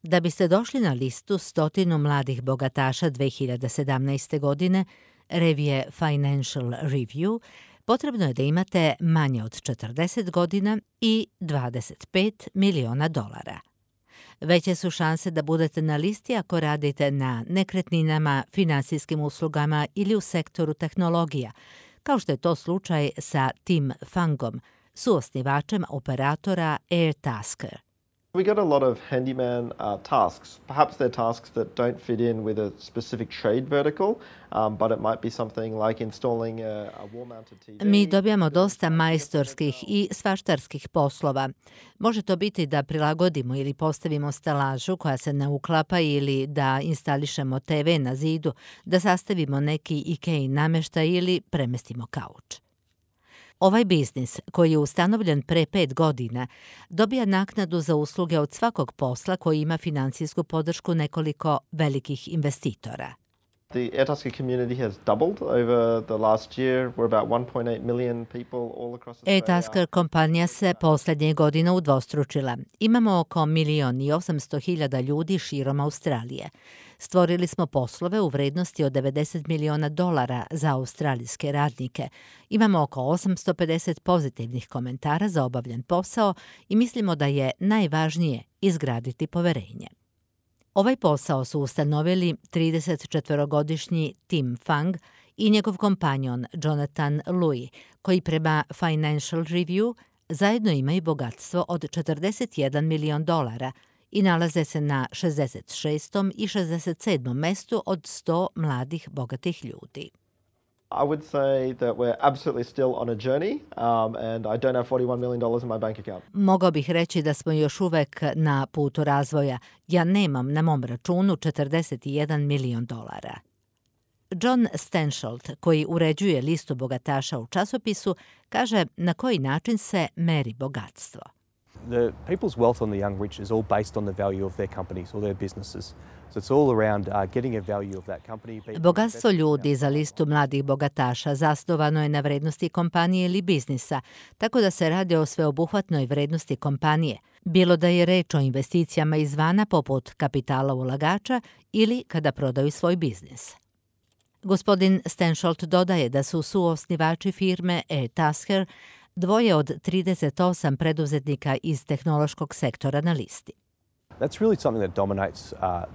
Da biste došli na listu 100 mladih bogataša 2017. godine, revije Financial Review, potrebno je da imate manje od 40 godina i $25 miliona. Veće su šanse da budete na listi ako radite na nekretninama, finansijskim uslugama ili u sektoru tehnologija, kao što je to slučaj sa Tim Fangom, suosnivačem operatora Airtasker. We get a lot of handyman tasks. Perhaps they're tasks that don't fit in with a specific trade vertical, but it might be something like installing a wall-mounted TV. Mi dobijamo dosta majstorskih i svaštarskih poslova. Može to biti da prilagodimo ili postavimo stelažu koja se ne uklapa ili da instališemo TV na zidu, da sastavimo neki IKEA namještaj ili premestimo kauč. Ovaj biznis, koji je ustanovljen pre 5 godina, dobija naknadu za usluge od svakog posla koji ima finansijsku podršku nekoliko velikih investitora. The Airtasker community has doubled over the last year. We're about 1.8 million people all across Australia. Airtasker kompanija se poslednje godine udvostručila. Imamo oko 1.800.000 ljudi širom Australije. Stvorili smo poslove u vrednosti od $90 miliona za australijske radnike. Imamo oko 850 pozitivnih komentara za obavljen posao i mislimo da je najvažnije izgraditi poverenje. Ovaj posao su ustanovili 34-godišnji Tim Fang i njegov kompanjon Jonathan Lui, koji prema Financial Review zajedno imaju bogatstvo od $41 milion i nalaze se na 66. i 67. mestu od 100 mladih bogatih ljudi. I would say that we're absolutely still on a journey, and I don't have $41 million in my bank account. Mogao bih reći da smo još uvek na putu razvoja. Ja nemam na mom računu $41 milion. John Stensholt, koji uređuje listu bogataša u časopisu, kaže na koji način se meri bogatstvo. The people's wealth on the young rich is all based on the value of their companies or their businesses. So it's all around getting a value of that company. Bogatstvo ljudi za listu mladih bogataša zasnovano je na vrednosti kompanije ili biznisa, tako da se radi o sveobuhvatnoj vrednosti kompanije, bilo da je reč o investicijama izvana poput kapitala ulagača ili kada prodaju svoj biznis. Gospodin Stensholt dodaje da su suosnivači firme Airtasker dvoje od 38 preduzetnika iz tehnološkog sektora na listi. That's really something that dominates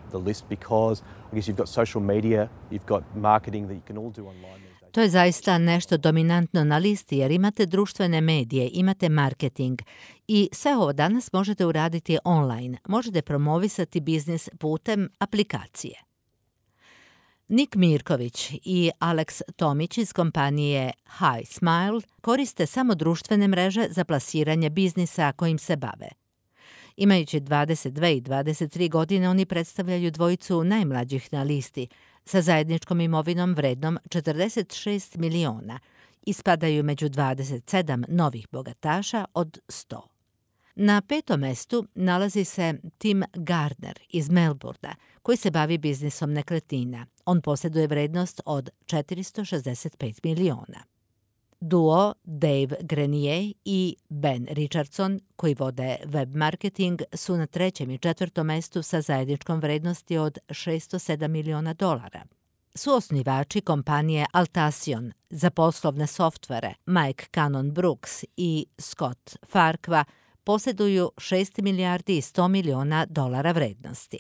the list because I guess you've got social media, you've got marketing that you can all do online. To je zaista nešto dominantno na listi jer imate društvene medije, imate marketing i sve ovo danas možete uraditi online. Možete promovisati biznis putem aplikacije. Nik Mirković i Alex Tomić iz kompanije High Smile koriste samo društvene mreže za plasiranje biznisa kojim se bave. Imajući 22 i 23 godine, oni predstavljaju dvojicu najmlađih na listi sa zajedničkom imovinom vrednom $46 miliona i spadaju među 27 novih bogataša od 100. Na 5. mestu nalazi se Tim Gardner iz Melbourna, koji se bavi biznisom nekretnina. On posjeduje vrednost od $465 miliona. Duo Dave Grenier i Ben Richardson, koji vode web marketing, su na 3. i 4. mestu sa zajedničkom vrednosti od $607 miliona. Suosnivači kompanije Altacion za poslovne softvere Mike Cannon Brooks i Scott Farquhar posjeduju $6 milijardi i $100 miliona vrednosti.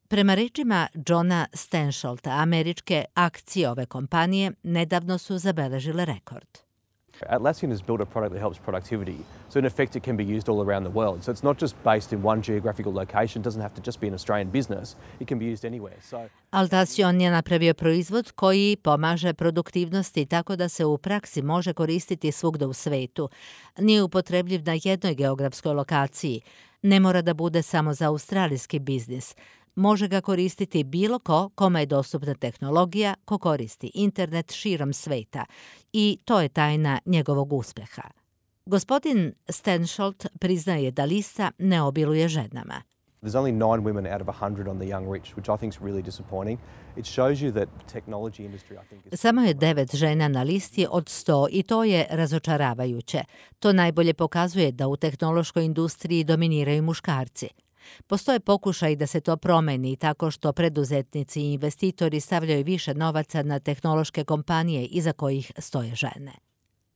Prema rečima Johna Stensholta, američke akcije ove kompanije nedavno su zabeležile rekord. Atlassian has built a product that helps productivity. So in effect it can be used all around the world. So it's not just based in one geographical location. It doesn't have to just be an Australian business. It can be used anywhere. Altacion je napravio proizvod koji pomaže produktivnosti tako da se u praksi može koristiti svugda u svetu. Nije upotrebljiv na jednoj geografskoj lokaciji. Ne mora da bude samo za australijski biznis. Može ga koristiti bilo ko kome je dostupna tehnologija, ko koristi internet širom sveta i to je tajna njegovog uspeha. Gospodin Stensholt priznaje da lista ne obiluje ženama. There's only 9 women out of 100 on the young rich, which I think is really disappointing. It shows you that technology industry, I think, is... Samo je 9 žena na listi od 100 i to je razočaravajuće. To najbolje pokazuje da u tehnološkoj industriji dominiraju muškarci. Postoje pokušaj da se to promeni tako što preduzetnici i investitori stavljaju više novaca na tehnološke kompanije iza kojih stoje žene.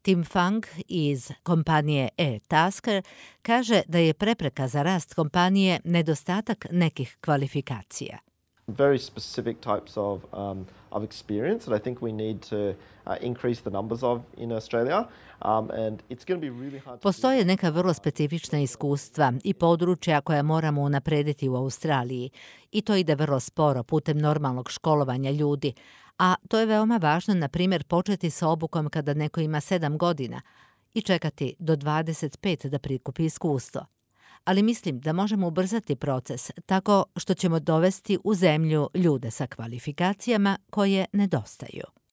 Tim Fang iz kompanije eTasker kaže da je prepreka za rast kompanije nedostatak nekih kvalifikacija. Very specific types of experience that I think we need to increase the numbers of in Australia. And it's going to be really hard. Postoje neka vrlo specifična iskustva i područja koja moramo unaprediti u Australiji i to ide vrlo sporo putem normalnog školovanja ljudi, a to je veoma važno, na primjer, početi sa obukom kada neko ima 7 godina i čekati do 25 da prikupi iskustvo. Ali mislim da možemo ubrzati proces tako što ćemo dovesti u zemlju ljude sa kvalifikacijama koje nedostaju.